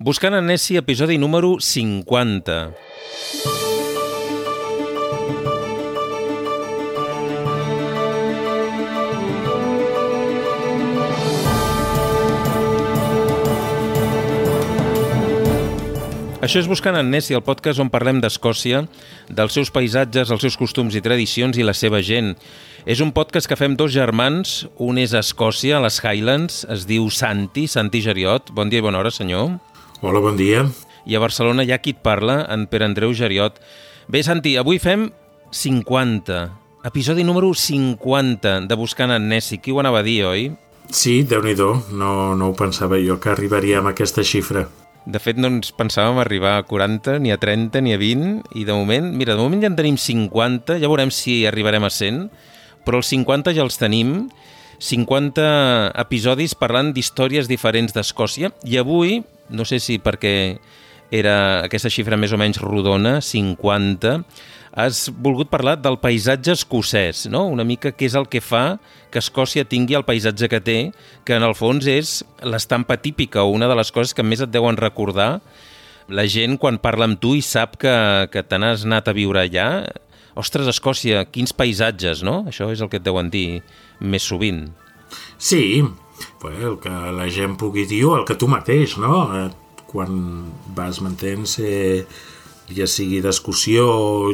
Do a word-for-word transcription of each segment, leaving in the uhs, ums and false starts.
Buscant en Nessie, episodi número cinquanta. Això és Buscant en Nessie, el podcast on parlem d'Escòcia, dels seus paisatges, els seus costums i tradicions i la seva gent. És un podcast que fem dos germans, un és a Escòcia, a les Highlands, es diu Santi, Santi Geriot. Bon dia i bona hora, senyor. Hola, bon dia. I a Barcelona hi ha qui et parla, en Pere Andreu Geriot. Bé, Santi, avui fem cinquanta, episodi número cinquanta de Buscant en Nessie. Qui ho anava a dir, oi? Sí, Déu-n'hi-do, no, no ho pensava jo que arribaríem a aquesta xifra. De fet, no ens pensàvem arribar a quaranta, ni a trenta, ni a vint, i de moment, mira, de moment ja en tenim cinquanta, ja veurem si arribarem a cent, però els cinquanta ja els tenim, cinquanta episodis parlant d'històries diferents d'Escòcia, i avui, no sé si perquè era aquesta xifra més o menys rodona, cinquanta, has volgut parlar del paisatge escocès, no? Una mica què és el que fa que Escòcia tingui el paisatge que té, que en el fons és l'estampa típica o una de les coses que més et deuen recordar la gent quan parla amb tu i sap que, que te n'has anat a viure allà. Ostres, Escòcia, quins paisatges, no? Això és el que et deuen dir més sovint. Sí, el que la gent pugui dir o el que tu mateix, no? Quan vas, m'entens, eh, ja sigui d'excursió,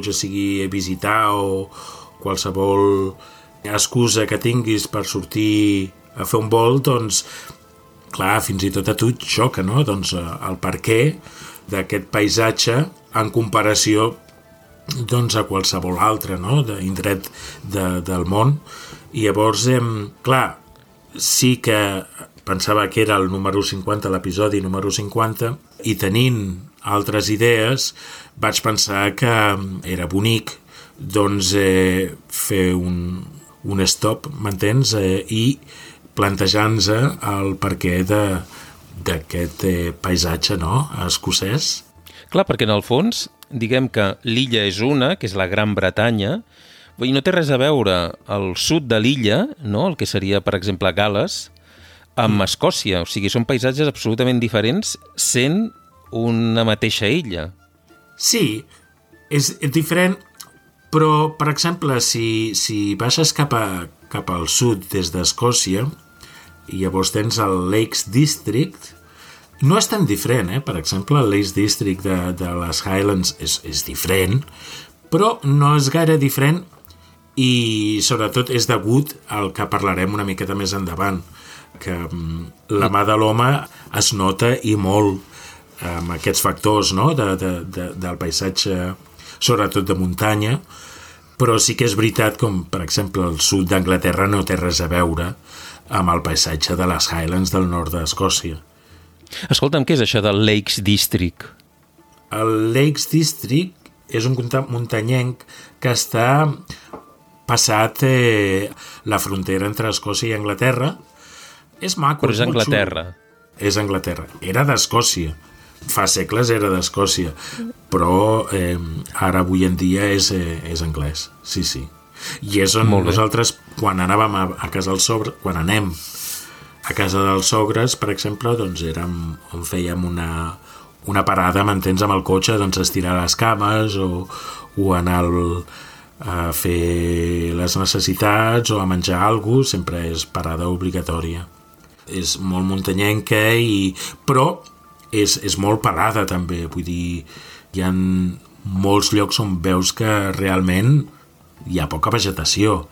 ja sigui a visitar o qualsevol excusa que tinguis per sortir a fer un vol, doncs, clar, fins i tot a tu et xoca, no? Doncs el perquè d'aquest paisatge en comparació doncs, a qualsevol altre, no? D'indret de, del món. I llavors, eh, clar, sí que pensava que era el número cinquanta, l'episodi número cinquanta, i tenint altres idees vaig pensar que era bonic doncs eh, fer un, un stop, m'entens? Eh, i plantejar-nos el perquè d'aquest eh, paisatge, no?, escocès. Clar, perquè en el fons, diguem que l'illa és una, que és la Gran Bretanya, i no té res a veure el sud de l'illa, no?, el que seria, per exemple, Gal·les, amb Escòcia. O sigui, són paisatges absolutament diferents sent una mateixa illa. Sí, és, és diferent, però, per exemple, si, si baixes cap, a, cap al sud des d'Escòcia i llavors tens el Lakes District, no és tan diferent, eh? Per exemple, el Lakes District de, de les Highlands és, és diferent, però no és gaire diferent i, sobretot, és degut al que parlarem una miqueta més endavant, que la mà de l'home es nota i molt amb aquests factors, no?, de, de, de, del paisatge, sobretot de muntanya, però sí que és veritat com, per exemple, el sud d'Anglaterra no té res a veure amb el paisatge de les Highlands del nord d'Escòcia. Escolta'm, què és això del Lakes District? El Lakes District és un muntanyenc que està passat eh, la frontera entre Escòcia i Anglaterra. És maco. Però és Anglaterra. És Anglaterra. Era d'Escòcia. Fa segles era d'Escòcia. Però eh, ara, avui en dia, és, eh, és anglès. Sí, sí. I és on nosaltres, quan anàvem a, a casa dels sogres, quan anem a casa dels sogres, per exemple, doncs érem on fèiem una, una parada, m'entens, amb el cotxe, doncs estirar les cames o, o anar al, a fer les necessitats o a menjar alguna cosa, sempre és parada obligatòria. És molt muntanyenca, i, però és, és molt parada també, vull dir, hi ha molts llocs on veus que realment hi ha poca vegetació,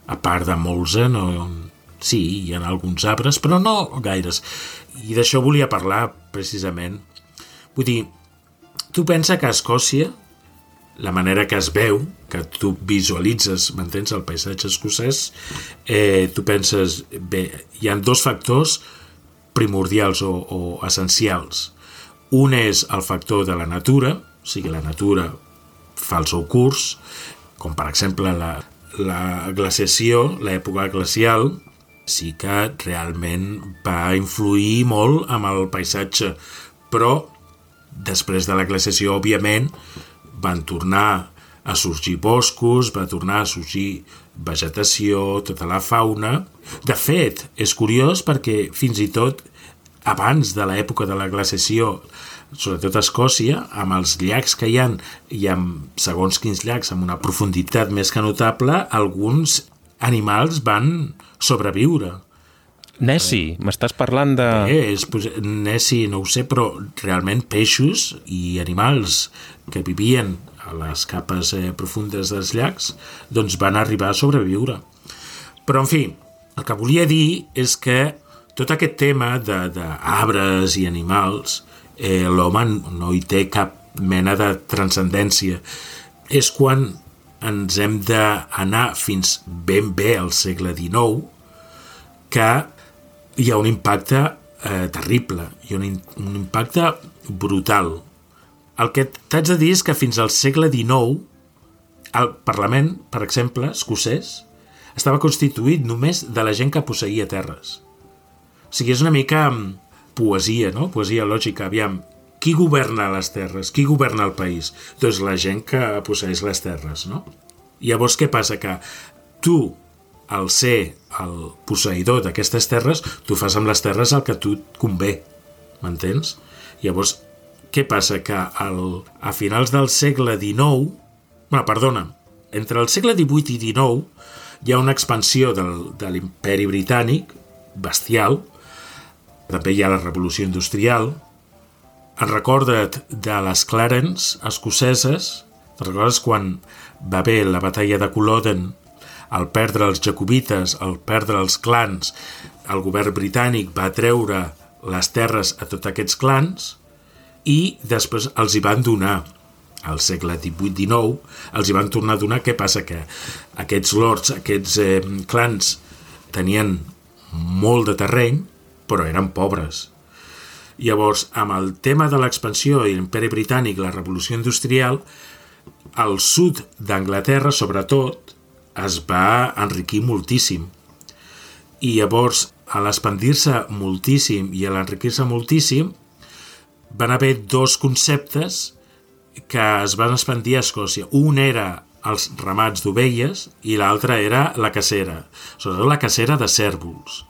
a part de molts, eh, no, sí, hi ha alguns arbres, però no gaires, i d'això volia parlar precisament. Vull dir, tu pensa que a Escòcia la manera que es veu, que tu visualitzes, m'entens, el paisatge escocès, eh, tu penses, bé, hi ha dos factors primordials o, o essencials. Un és el factor de la natura, o sigui, la natura fa el seu curs, com per exemple la, la glaciació, l'època glacial, sí que realment va influir molt amb el paisatge, però després de la glaciació, òbviament, van tornar a sorgir boscos, va tornar a sorgir vegetació, tota la fauna. De fet, és curiós perquè fins i tot abans de l'època de la glaciació, sobretot a Escòcia, amb els llacs que hi ha, i amb segons quins llacs, amb una profunditat més que notable, alguns animals van sobreviure. Nessie, eh, m'estàs parlant de... Eh, és, Nessie, no ho sé, però realment peixos i animals que vivien a les capes eh, profundes dels llacs, doncs van arribar a sobreviure. Però, en fi, el que volia dir és que tot aquest tema d'arbres i animals, eh, l'home no hi té cap mena de transcendència. És quan ens hem d'anar fins ben bé al segle dinou que hi ha un impacte eh, terrible, hi ha un, un impacte brutal. El que t'haig de dir és que fins al segle dinou el Parlament, per exemple, escocès, estava constituït només de la gent que posseïa terres. O sigui, és una mica poesia, no? Poesia lògica. Aviam, qui governa les terres? Qui governa el país? Doncs la gent que posseeix les terres, no? Llavors, què passa? Que tu, al ser el posseïdor d'aquestes terres, tu fas amb les terres el que a tu et convé, m'entens? Llavors, què passa? Que el, a finals del segle dinou, bueno, perdona, entre el segle divuit i dinou hi ha una expansió del, de l'imperi britànic bestial. També hi ha la revolució industrial. En recorda't de les Clarence escoceses? Te'n recordes quan va haver la batalla de Culloden, al perdre els jacobites, al perdre els clans, el govern britànic va treure les terres a tots aquests clans i després els hi van donar. Al segle divuit dinou els hi van tornar a donar. Què passa? Que aquests lords, aquests eh, clans tenien molt de terreny, però eren pobres. Llavors, amb el tema de l'expansió i l'imperi britànic, la revolució industrial, al sud d'Anglaterra, sobretot, es va enriquir moltíssim. I llavors, a l'expandir-se moltíssim i a l'enriquir-se moltíssim, van haver dos conceptes que es van expandir a Escòcia. Un era els ramats d'ovelles i l'altre era la cacera, sobretot la cacera de cérvols.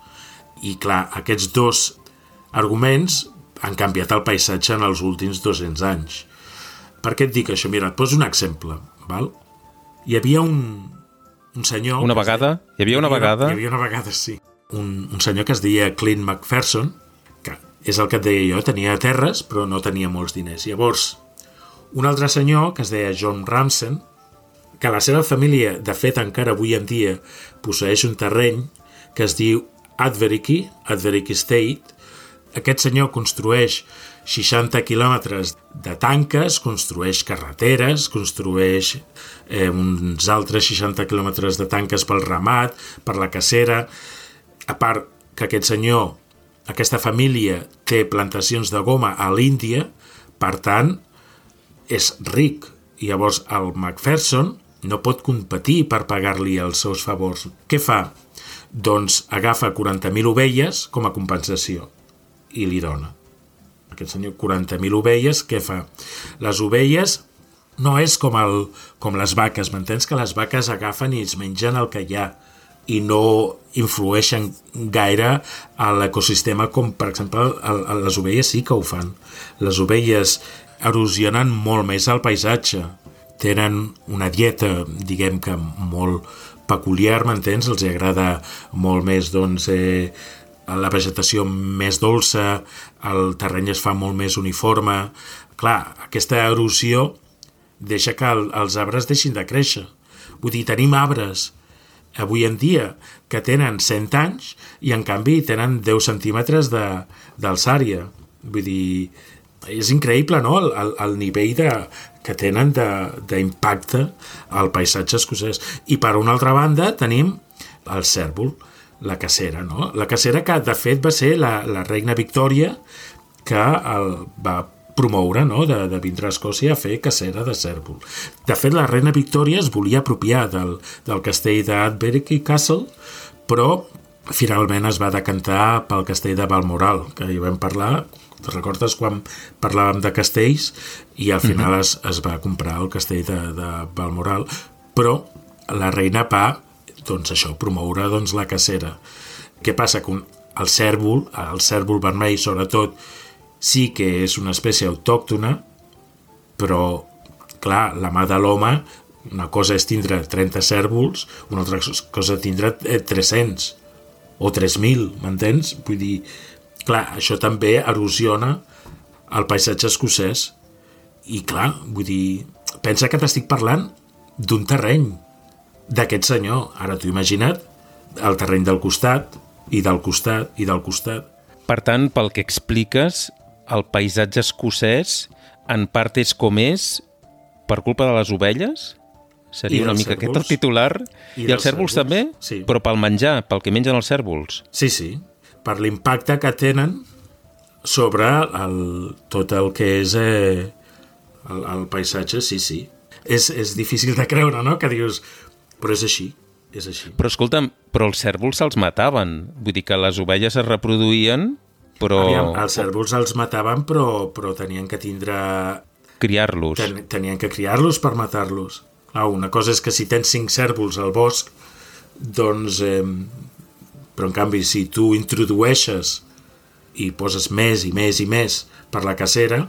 I clar, aquests dos arguments han canviat el paisatge en els últims dos-cents anys. Per què et dic això? Mira, et poso un exemple. Val? Hi havia un, un senyor... Una vegada? Hi havia una vegada? Hi havia una vegada, sí. Un, un senyor que es deia Clint Macpherson, que és el que et deia jo, tenia terres, però no tenia molts diners. Llavors, un altre senyor que es deia John Ramsden, que la seva família, de fet, encara avui en dia, posseeix un terreny que es diu Advericke, Advericke Estate. Aquest senyor construeix seixanta quilòmetres de tanques, construeix carreteres, construeix eh, uns altres seixanta quilòmetres de tanques pel ramat, per la cacera. A part que aquest senyor, aquesta família, té plantacions de goma a l'Índia, per tant, és ric. I llavors el Macpherson no pot competir per pagar-li els seus favors. Què fa? Doncs agafa quaranta mil ovelles com a compensació i li dona. Aquest senyor, quaranta mil ovelles, què fa? Les ovelles no és com, el, com les vaques, m'entens? Que les vaques agafen i es mengen el que hi ha i no influeixen gaire a l'ecosistema com, per exemple, el, el, les ovelles sí que ho fan. Les ovelles erosionen molt més el paisatge. Tenen una dieta, diguem que molt peculiar, m'entens? Els agrada molt més, doncs, eh, la vegetació més dolça, el terreny es fa molt més uniforme. Clar, aquesta erosió deixa que el, els arbres deixin de créixer. Vull dir, tenim arbres avui en dia que tenen cent anys i en canvi tenen deu centímetres d'alçària. Vull dir, és increïble, no?, el, el, el nivell de, que tenen d'impacte al paisatge escocès. I per una altra banda tenim el cèrvol, la cacera, no? La cacera que de fet va ser la, la reina Victòria que el va promoure, no?, de, de vindre a Escòcia a fer cacera de cèrvol. De fet, la reina Victòria es volia apropiar del, del castell d'Advericke Castle, però finalment es va decantar pel castell de Balmoral, que hi vam parlar. Te recordes quan parlàvem de castells i al final es, es va comprar el castell de, de Balmoral, però la reina va, doncs això, promoure doncs, la cacera. Què passa? Que el cèrvol, el cèrvol vermell sobretot, sí que és una espècie autòctona, però, clar, la mà de l'home, una cosa és tindre trenta cèrvols, una altra cosa és tindre tres-cents o tres mil, m'entens? Vull dir, clar, això també erosiona el paisatge escocès. I, clar, vull dir, pensa que t'estic parlant d'un terreny d'aquest senyor. Ara t'ho imagina't, el terreny del costat, i del costat, i del costat. Per tant, pel que expliques, el paisatge escocès en part és com és per culpa de les ovelles? Seria una mica aquest el titular. I, I els cèrvols també? Sí. Però pel menjar, pel que mengen els cèrvols? Sí, sí. Per l'impacte que tenen sobre el, tot el que és eh, el, el paisatge, sí, sí. És, és difícil de creure, no?, que dius, però és així, és així. Però escolta'm, però els cèrvols se'ls mataven. Vull dir que les ovelles es reproduïen, però... Aviam, els cèrvols els mataven, però, però tenien que tindre... Criar-los. Ten, tenien que criar-los per matar-los. Ah, una cosa és que si tens cinc cèrvols al bosc, doncs... Eh, però, en canvi, si tu introdueixes i poses més i més i més per la cacera,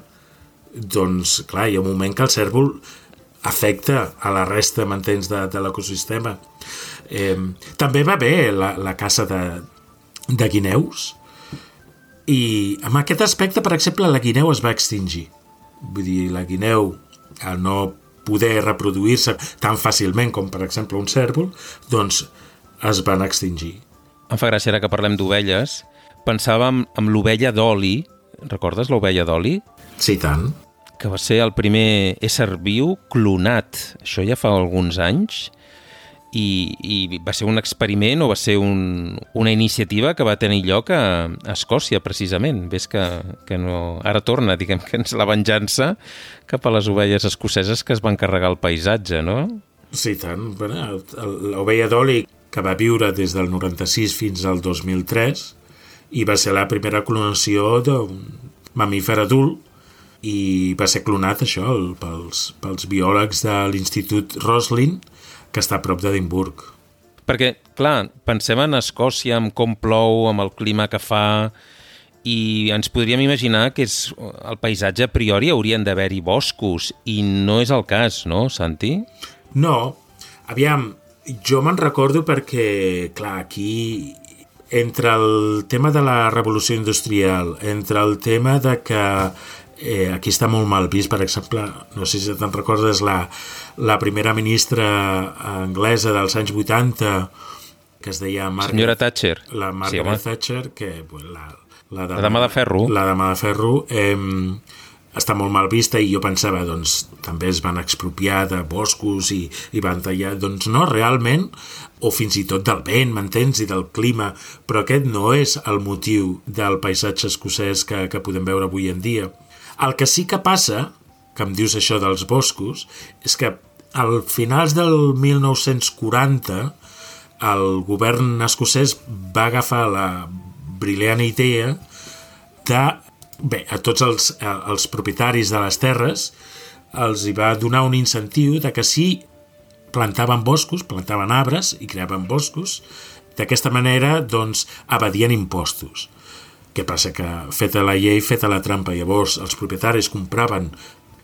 doncs, clar, hi ha un moment que el cèrvol afecta a la resta, m'entens, de, de l'ecosistema. Eh, també va bé la, la caça de, de guineus, i en aquest aspecte, per exemple, la guineu es va extingir. Vull dir, la guineu, al no poder reproduir-se tan fàcilment com, per exemple, un cèrvol, doncs es van extingir. Em fa gràcia ara que parlem d'ovelles. Pensàvem en l'ovella d'oli. Recordes l'ovella d'oli? Sí, tant. Que va ser el primer ésser viu clonat. Això ja fa alguns anys. I, i va ser un experiment o va ser un, una iniciativa que va tenir lloc a, a Escòcia, precisament. Ves que, que no... Ara torna, diguem que és la venjança cap a les ovelles escoceses que es van carregar el paisatge, no? Sí, tant. Bueno, l'ovella d'oli, que va viure des del noranta-sis fins al dos mil tres, i va ser la primera clonació d'un mamífer adult, i va ser clonat, això, pels, pels biòlegs de l'Institut Roslin, que està a prop d'Edimburg. Perquè, clar, pensem en Escòcia, amb com plou, amb el clima que fa, i ens podríem imaginar que és el paisatge a priori haurien d'haver-hi boscos, i no és el cas, no, Santi? No. Aviam, jo me'n recordo perquè, clar, aquí, entre el tema de la revolució industrial, entre el tema de que eh, aquí està molt mal vist, per exemple, no sé si te'n recordes, la, la primera ministra anglesa dels anys vuitanta, que es deia Margaret, senyora Thatcher. La Margaret sí, Thatcher, que la, la, dama, la dama de ferro. La dama de ferro, eh, està molt mal vista, i jo pensava, doncs, també es van expropiar de boscos i, i van tallar, doncs no, realment, o fins i tot del vent, m'entens, i del clima, però aquest no és el motiu del paisatge escocès que, que podem veure avui en dia. El que sí que passa, que em dius això dels boscos, és que al finals del mil nou-cents quaranta el govern escocès va agafar la brillant idea de, bé, a tots els, els propietaris de les terres els hi va donar un incentiu de que si plantaven boscos, plantaven arbres i creaven boscos, d'aquesta manera, doncs, evadien impostos. Què passa? Que feta la llei, feta la trampa. Llavors, els propietaris compraven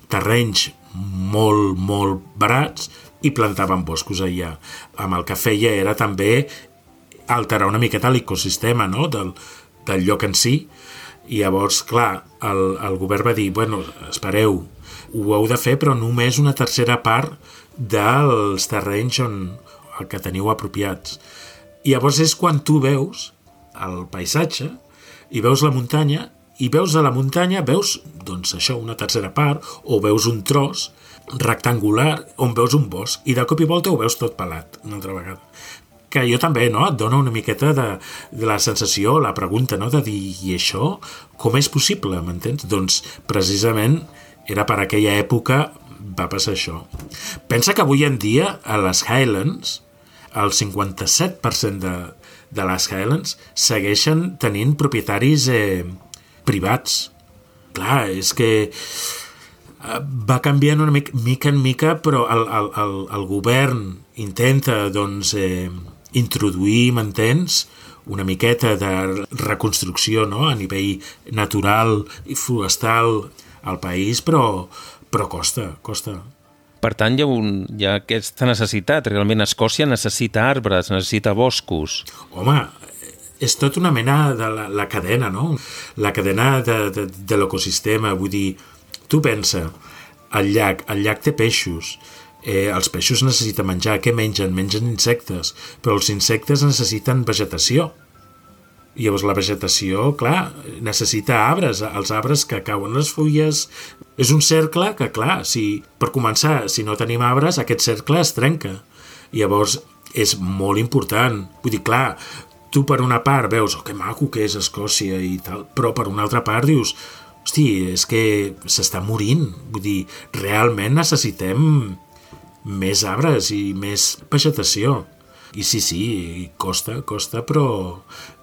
terrenys molt, molt barats i plantaven boscos allà. Amb el que feia era també alterar una miqueta l'ecosistema, no?, del, del lloc en si. I llavors, clar, el, el govern va dir, bueno, espereu, ho heu de fer, però només una tercera part dels terrenys on el que teniu apropiats. I llavors és quan tu veus el paisatge i veus la muntanya, i veus a la muntanya, veus, doncs això, una tercera part, o veus un tros rectangular on veus un bosc, i de cop i volta ho veus tot pelat, una altra vegada. Que jo també, no?, et dona una miqueta de, de la sensació, la pregunta, no?, de dir, i això, com és possible, m'entens? Doncs, precisament, era per aquella època va passar això. Pensa que avui en dia, a les Highlands, el cinquanta-set per cent de, de les Highlands segueixen tenint propietaris eh, privats. Clar, és que va canviant una mica, mica en mica, però el, el, el, el govern intenta, doncs, eh, introduir, m'entens, una miqueta de reconstrucció, no?, a nivell natural i forestal al país, però, però costa, costa. Per tant, hi ha, un, hi ha aquesta necessitat. Realment Escòcia necessita arbres, necessita boscos. Home, és tot una mena de la, la cadena, no? La cadena de, de, de l'ecosistema. Vull dir, tu pensa, el llac, el llac té peixos, eh, els peixos necessiten menjar. Què mengen? Mengen insectes, però els insectes necessiten vegetació. I llavors la vegetació, clar, necessita arbres, els arbres que cauen les fulles. És un cercle que, clar, si, per començar, si no tenim arbres, aquest cercle es trenca. I llavors és molt important. Vull dir, clar, tu per una part veus, oh, que maco que és Escòcia i tal, però per una altra part dius, hosti, és que s'està morint. Vull dir, realment necessitem més arbres i més vegetació. I sí, sí, costa, costa, però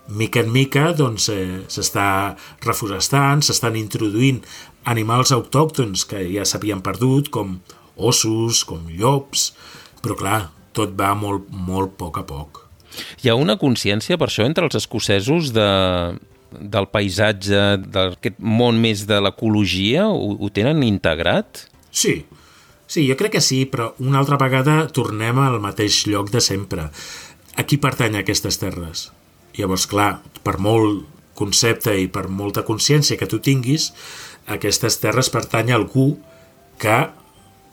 mica en mica doncs, eh, s'està reforestant, s'estan introduint animals autòctons que ja s'havien perdut, com ossos, com llops, però clar, tot va molt, molt a poc a poc. Hi ha una consciència per això entre els escocesos de, del paisatge, d'aquest món més de l'ecologia? Ho, ho tenen integrat? Sí, sí, jo crec que sí, però una altra vegada tornem al mateix lloc de sempre. A qui pertany aquestes terres? Llavors, clar, per molt concepte i per molta consciència que tu tinguis, aquestes terres pertany a algú que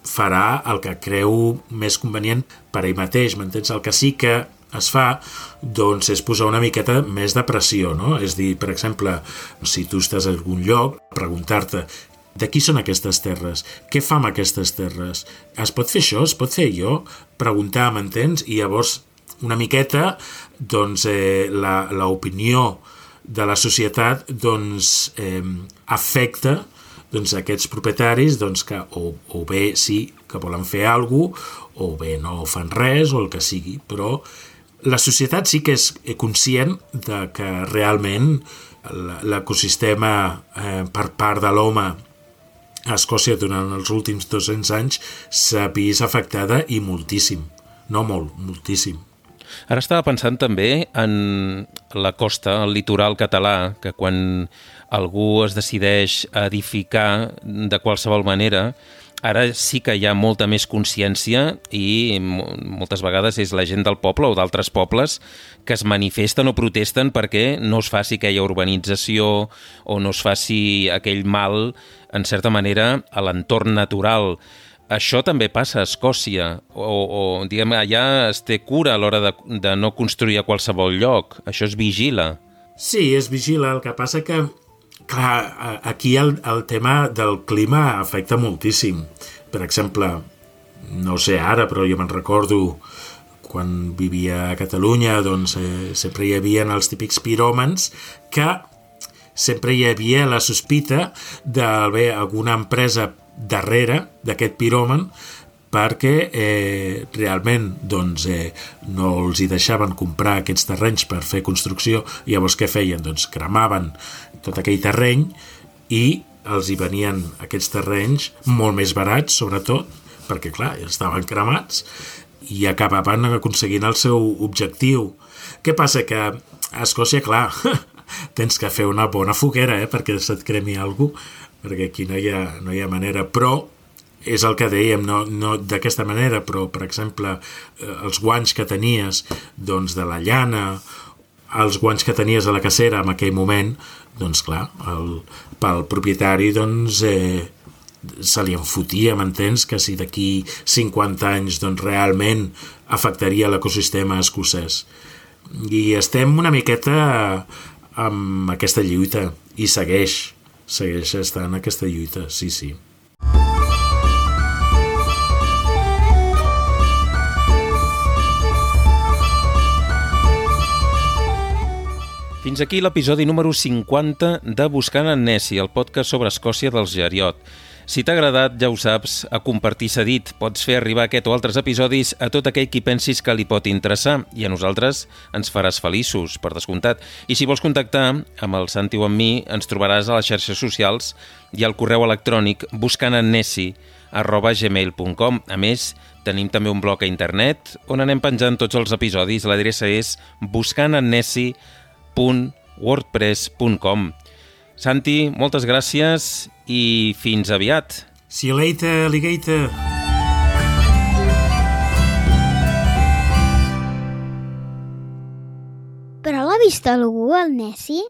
farà el que creu més convenient per ell mateix, m'entens? El que sí que es fa, doncs, és posar una miqueta més de pressió, no? És dir, per exemple, si tu estàs en algun lloc, preguntar-te de qui són aquestes terres? Què fa amb aquestes terres? Es pot fer això? Es pot fer allò? Preguntar, m'entens? I llavors, una miqueta, doncs, eh, la, l'opinió de la societat doncs, eh, afecta doncs, aquests propietaris doncs, que o, o bé sí que volen fer alguna cosa, o bé no fan res, o el que sigui, però la societat sí que és conscient de que realment l'ecosistema eh, per part de l'home a Escòcia durant els últims dos-cents anys s'ha vist afectada i moltíssim, no molt, moltíssim. Ara estava pensant també en la costa, el litoral català, que quan algú es decideix a edificar de qualsevol manera, ara sí que hi ha molta més consciència i moltes vegades és la gent del poble o d'altres pobles que es manifesten o protesten perquè no es faci aquella urbanització o no es faci aquell mal, en certa manera, a l'entorn natural. Això també passa a Escòcia, o, o diguem, allà es té cura a l'hora de, de no construir a qualsevol lloc. Això es vigila. Sí, es vigila. El que passa que, clar, aquí el, el tema del clima afecta moltíssim. Per exemple, no sé ara, però jo me'n recordo quan vivia a Catalunya, doncs eh, sempre hi havia els típics piròmans que sempre hi havia la sospita d'haver alguna empresa darrere d'aquest piròman perquè eh, realment doncs, eh, no els hi deixaven comprar aquests terrenys per fer construcció. I llavors què feien? Doncs cremaven tot aquell terreny i els hi venien aquests terrenys molt més barats, sobretot, perquè clar, estaven cremats i acabaven aconseguint el seu objectiu. Què passa? Que a Escòcia, clar, tens que fer una bona foguera eh, perquè se't cremi alguna cosa, perquè aquí no hi ha, no hi ha manera, però és el que dèiem, no, no d'aquesta manera, però, per exemple, els guanys que tenies doncs, de la llana, els guanys que tenies a la cacera en aquell moment, doncs clar, el, pel propietari doncs, eh, se li enfotia, m'entens, que si d'aquí cinquanta anys doncs, realment afectaria l'ecosistema escocès. I estem una miqueta amb aquesta lluita, i segueix, segueix estant aquesta lluita, sí, sí. Fins aquí l'episodi número cinquanta de Buscant en Nessie, el podcast sobre Escòcia dels Geriot. Si t'ha agradat, ja ho saps, a compartir s'ha dit. Pots fer arribar aquest o altres episodis a tot aquell qui pensis que li pot interessar i a nosaltres ens faràs feliços, per descomptat. I si vols contactar amb el Santi o amb mi, ens trobaràs a les xarxes socials i al correu electrònic buscantennesi arroba gmail punt com. A més, tenim també un blog a internet on anem penjant tots els episodis. L'adreça és buscantennesi punt wordpress punt com. Santi, moltes gràcies i fins aviat. See you later, alligator. Però l'ha vist algú, el Nessi?